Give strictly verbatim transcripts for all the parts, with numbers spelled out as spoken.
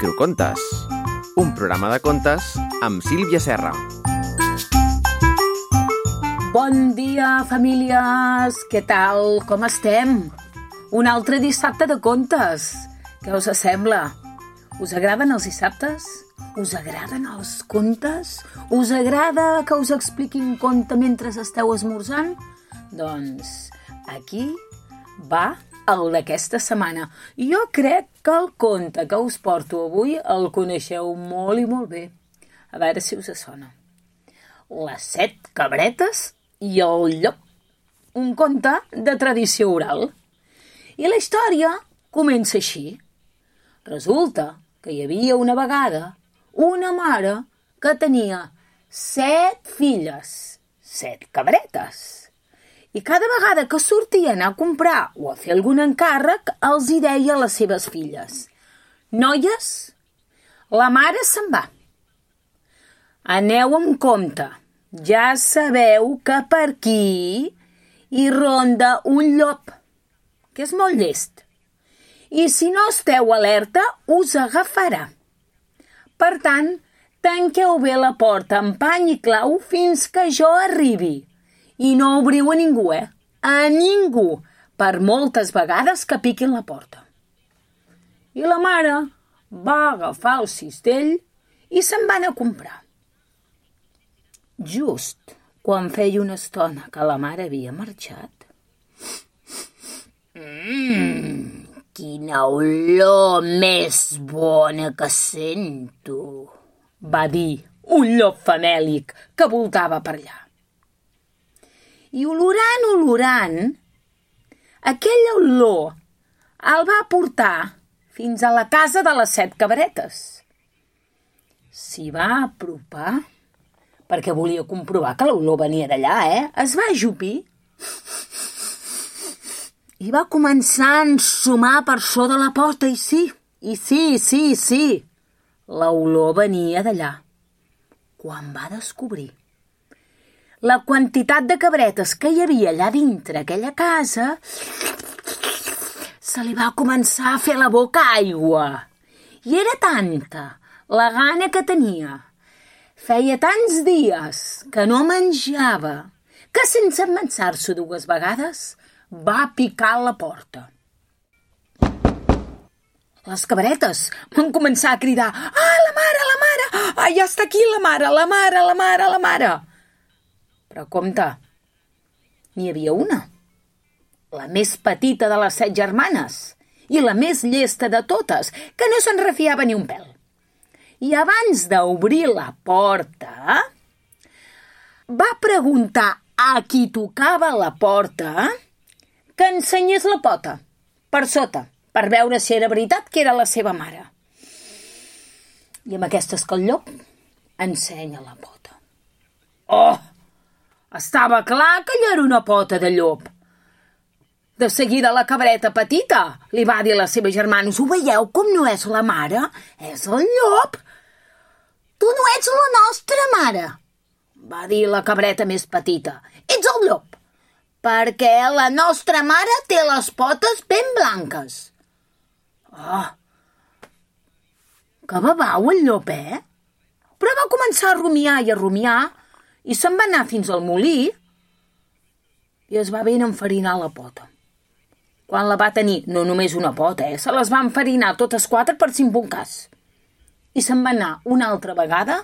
Microcontes, un programa de contes amb Sílvia Serra. Bon dia, famílies! Què tal? Com estem? Un altre dissabte de contes. Què us sembla? Us agraden els dissabtes? Us agraden els contes? Us agrada que us expliqui un conte mentre esteu esmorzant? Doncs aquí va el d'aquesta setmana. Jo crec que el conte que us porto avui el coneixeu molt i molt bé. A veure si us sona. Les set cabretes i el llop. Un conte de tradició oral. I la història comença així. Resulta que hi havia una vegada una mare que tenia set filles, set cabretes. I cada vegada que sortien a comprar o a fer algun encàrrec, els hi deia a les seves filles: noies, la mare se'n va. Aneu amb compte. Ja sabeu que per aquí hi ronda un llop, que és molt llest. I si no esteu alerta, us agafarà. Per tant, tanqueu bé la porta amb pany i clau fins que jo arribi. I no obriu a ningú, eh? A ningú, per moltes vegades que piquin la porta. I la mare va agafar el cistell i se'n va anar a comprar. Just quan feia una estona que la mare havia marxat, Mmm, quina olor més bona que sento, va dir un llop famèlic que voltava per allà. I olorant, olorant, aquella olor el va portar fins a la casa de les set cabretes. S'hi va apropar, perquè volia comprovar que l'olor venia d'allà, eh? Es va ajupir i va començar a ensumar per sota la porta, i sí, i sí, sí, sí, l'olor venia d'allà. Quan va descobrir la quantitat de cabretes que hi havia allà dintre aquella casa, se li va començar a fer la boca aigua. I era tanta la gana que tenia. Feia tants dies que no menjava que, sense pensar-s'ho dues vegades, va picar a la porta. Les cabretes van començar a cridar: ah, la mare, la mare! Ah, ja està aquí la mare, la mare, la mare, la mare! Però compte, n'hi havia una, la més petita de les set germanes i la més llesta de totes, que no se'n refiava ni un pèl. I abans d'obrir la porta, va preguntar a qui tocava la porta que ensenyés la pota per sota, per veure si era veritat que era la seva mare. I amb aquestes que el llop ensenya la pota. Oh! Estava clar que allò era una pota de llop. De seguida la cabreta petita li va dir a la seva germana: ho veieu com no és la mare? És el llop. Tu no ets la nostra mare, va dir la cabreta més petita. Ets el llop, perquè la nostra mare té les potes ben blanques. Oh, que babau el llop, eh? Però va començar a rumiar i a rumiar i se'n va anar fins al molí i es va ben enfarinar la pota. Quan la va tenir, no només una pota, eh? Se les va enfarinar totes quatre per si en un cas. I se'n va anar una altra vegada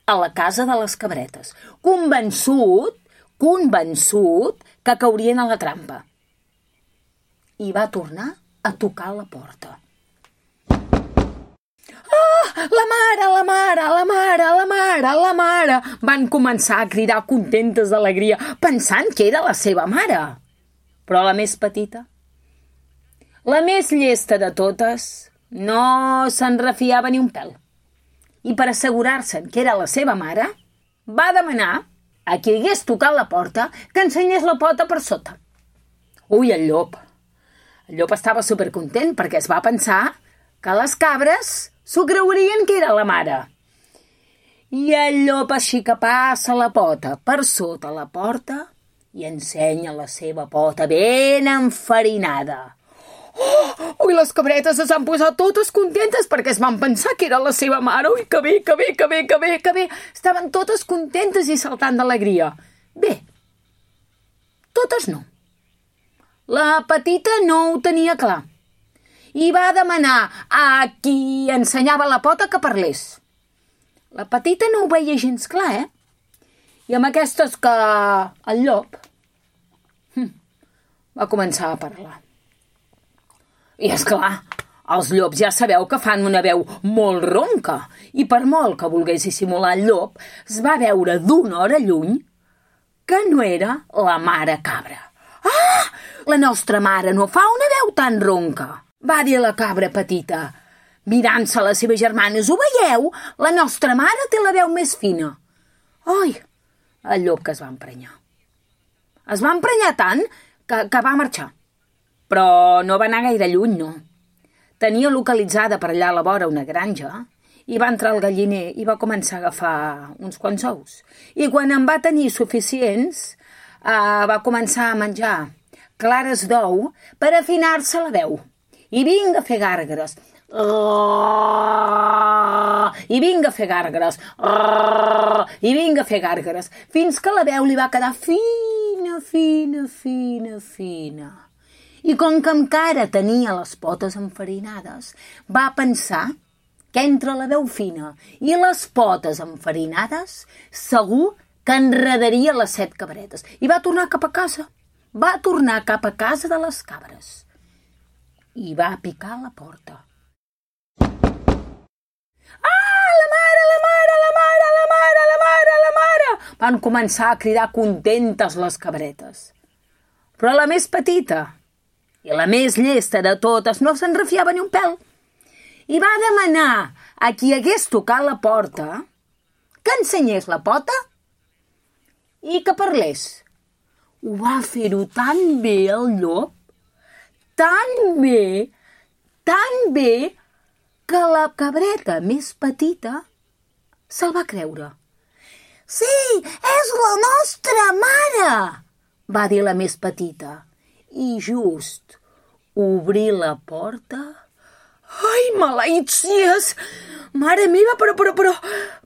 a la casa de les cabretes, convençut, convençut que caurien a la trampa. I va tornar a tocar la porta. Ah, la mare, la mare, la mare, la mare, la mare! Van començar a cridar contentes d'alegria, pensant que era la seva mare. Però la més petita, la més llesta de totes, no se'n refiava ni un pèl. I per assegurar-se'n que era la seva mare, va demanar a qui hagués tocat la porta que ensenyés la pota per sota. Ui, el llop! El llop estava supercontent perquè es va pensar que les cabres s'ho creurien que era la mare. I el llop així que passa la pota per sota la porta i ensenya la seva pota ben enfarinada. Oh, ui, les cabretes es van posar totes contentes perquè es van pensar que era la seva mare. Ui, que bé, que bé, que bé, que bé, que bé. Estaven totes contentes i saltant d'alegria. Bé, totes no. La petita no ho tenia clar i va demanar a qui ensenyava la pota que parlés. La petita no ho veia gens clar, eh? I amb aquestes que el llop hm, va començar a parlar. I és clar, els llops ja sabeu que fan una veu molt ronca i per molt que volgués dissimular el llop, es va veure d'una hora lluny que no era la mare cabra. Ah! La nostra mare no fa una veu tan ronca, va dir la cabra petita, mirant-se a les seves germanes. Ho veieu? La nostra mare té la veu més fina. Ai, el llop que es va emprenyar. Es va emprenyar tant que, que va marxar. Però no va anar gaire lluny, no. Tenia localitzada per allà a la vora una granja i va entrar al galliner i va començar a agafar uns quants ous. I quan en va tenir suficients, eh, va començar a menjar clares d'ou per afinar-se la veu. I vinga a fer gàrgares. I vinga a fer gàrgares. I vinga a fer gàrgares. Fins que la veu li va quedar fina, fina, fina, fina. I com que encara tenia les potes enfarinades, va pensar que entre la veu fina i les potes enfarinades segur que enredaria les set cabretes. I va tornar cap a casa. Va tornar cap a casa de les cabres. I va picar a la porta. Ah, la mare, la mare, la mare, la mare, la mare, la mare! Van començar a cridar contentes les cabretes. Però la més petita i la més llesta de totes no se'n refiava ni un pèl. I va demanar a qui hagués tocat la porta que ensenyés la pota i que parlés. Ho va fer-ho tan bé el llop, tan bé, tan bé, que la cabreta més petita se'l va creure. Sí, és la nostra mare, va dir la més petita. I just obrir la porta... Ai, maleïtsies! Mare meva, però, però, però,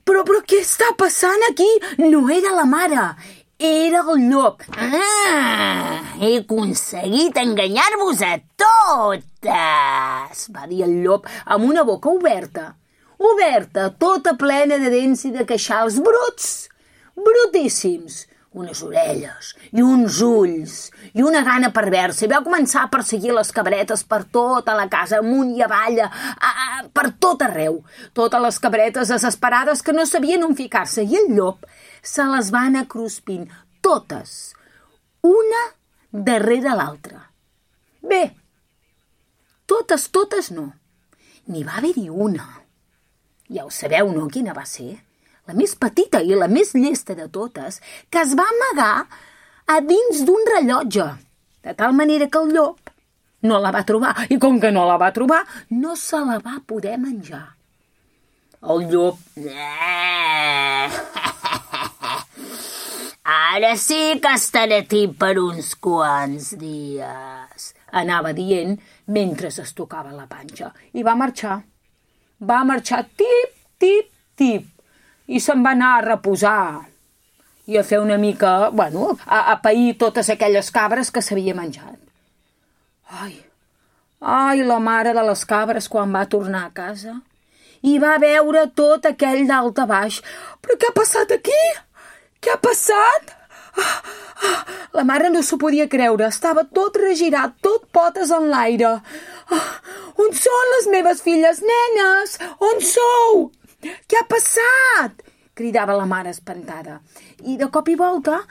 però, però, què està passant aquí? No era la mare, era el llop. Ah, he aconseguit enganyar-vos a totes, va dir el llop amb una boca oberta. Oberta, tota plena de dents i de queixals bruts, brutíssims. Unes orelles i uns ulls i una gana perversa. I va començar a perseguir les cabretes per tota la casa, amunt i avall, a, a, per tot arreu. Totes les cabretes desesperades que no sabien on ficar-se. I el llop se les va anar cruspint, totes, una darrere l'altra. Bé, totes, totes no. N'hi va haver-hi una. Ja ho sabeu, no?, quina va ser? La més petita i la més llesta de totes, que es va amagar a dins d'un rellotge, de tal manera que el llop no la va trobar, i com que no la va trobar, no se la va poder menjar. El llop... Ara sí que estaré tip per uns quants dies, anava dient mentre es tocava la panxa. I va marxar. Va marxar tip, tip, tip. I se'n va anar a reposar i a fer una mica, bueno, a, a pair totes aquelles cabres que s'havia menjat. Ai, ai, la mare de les cabres quan va tornar a casa i va veure tot aquell dalt a baix. Però què ha passat aquí? Què ha passat? Ah, ah, la mare no s'ho podia creure, estava tot regirat, tot potes en l'aire. Ah, on són les meves filles, nenes? On sou? Què ha passat? Cridava la mare espantada. I de cop i volta,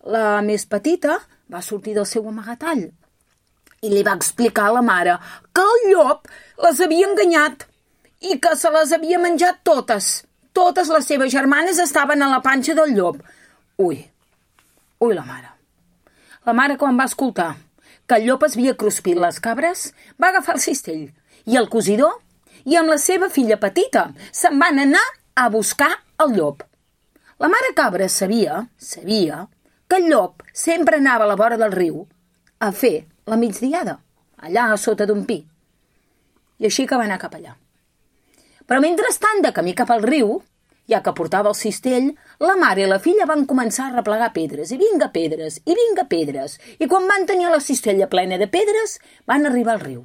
la més petita va sortir del seu amagatall i li va explicar a la mare que el llop les havia enganyat i que se les havia menjat totes. Totes les seves germanes estaven a la panxa del llop. Ui, ui la mare. La mare, quan va escoltar que el llop es havia cruspit les cabres, va agafar el cistell i el cosidor i amb la seva filla petita se'n van anar a buscar el llop. La mare cabra sabia, sabia, que el llop sempre anava a la vora del riu a fer la migdiada. allà a sota d'un pi. I així que va anar cap allà. Però mentrestant, de camí cap al riu, ja que portava el cistell, la mare i la filla van començar a replegar pedres, i vinga pedres, i vinga pedres, i quan van tenir la cistella plena de pedres, van arribar al riu.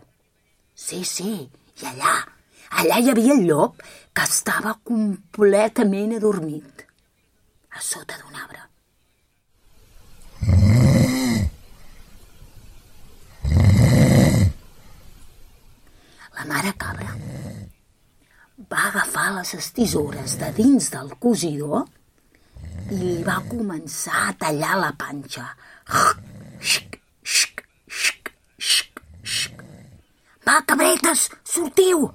Sí, sí, i allà, allà hi havia el llop, que estava completament adormit, a sota d'un arbre. La mare cabra va agafar les tisores de dins del cosidor i li va començar a tallar la panxa. Xic, xic, xic, xic, xic. Va, cabretes, sortiu!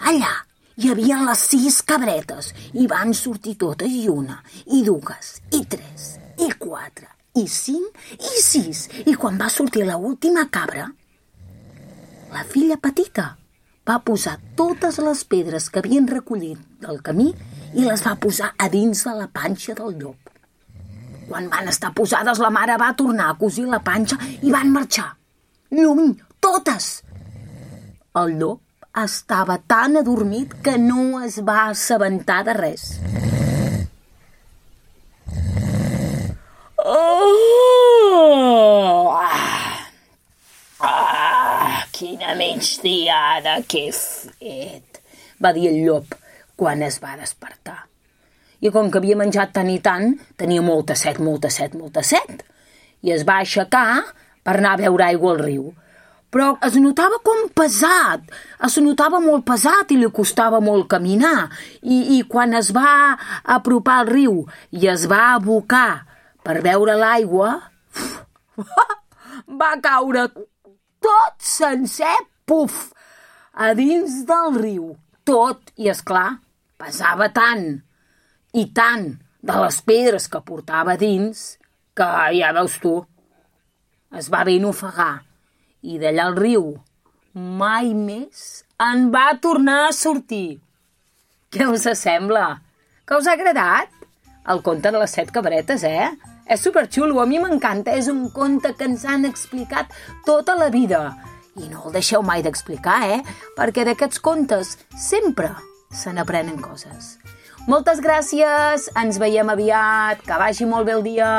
Allà hi havia les sis cabretes i van sortir totes i una, i dues, i tres, i quatre, i cinc, i sis. I quan va sortir l'última cabra, la filla petita va posar totes les pedres que havien recollit del camí i les va posar a dins de la panxa del llop. Quan van estar posades, la mare va tornar a cosir la panxa i van marxar. Lluny, totes! El llop estava tan adormit que no es va assabentar de res. Oh! Ah, quina migdiada que he fet, va dir el llop quan es va despertar. I com que havia menjat tant i tant, tenia molta set, molta set, molta set. I es va aixecar per anar a beure aigua al riu. Però es notava com pesat, es notava molt pesat i li costava molt caminar. I, i quan es va apropar al riu i es va abocar per beure l'aigua, va caure tot sencer, puf, a dins del riu, tot, i esclar, pesava tant i tant de les pedres que portava dins que, ja veus tu, es va ben ofegar i d'allà al riu mai més en va tornar a sortir. Què us sembla? Que us ha agradat? El conte de les set cabretes, eh? És superxulo, a mi m'encanta, és un conte que ens han explicat tota la vida. I no el deixeu mai d'explicar, eh? Perquè d'aquests contes sempre se n'aprenen coses. Moltes gràcies, ens veiem aviat, que vagi molt bé el dia.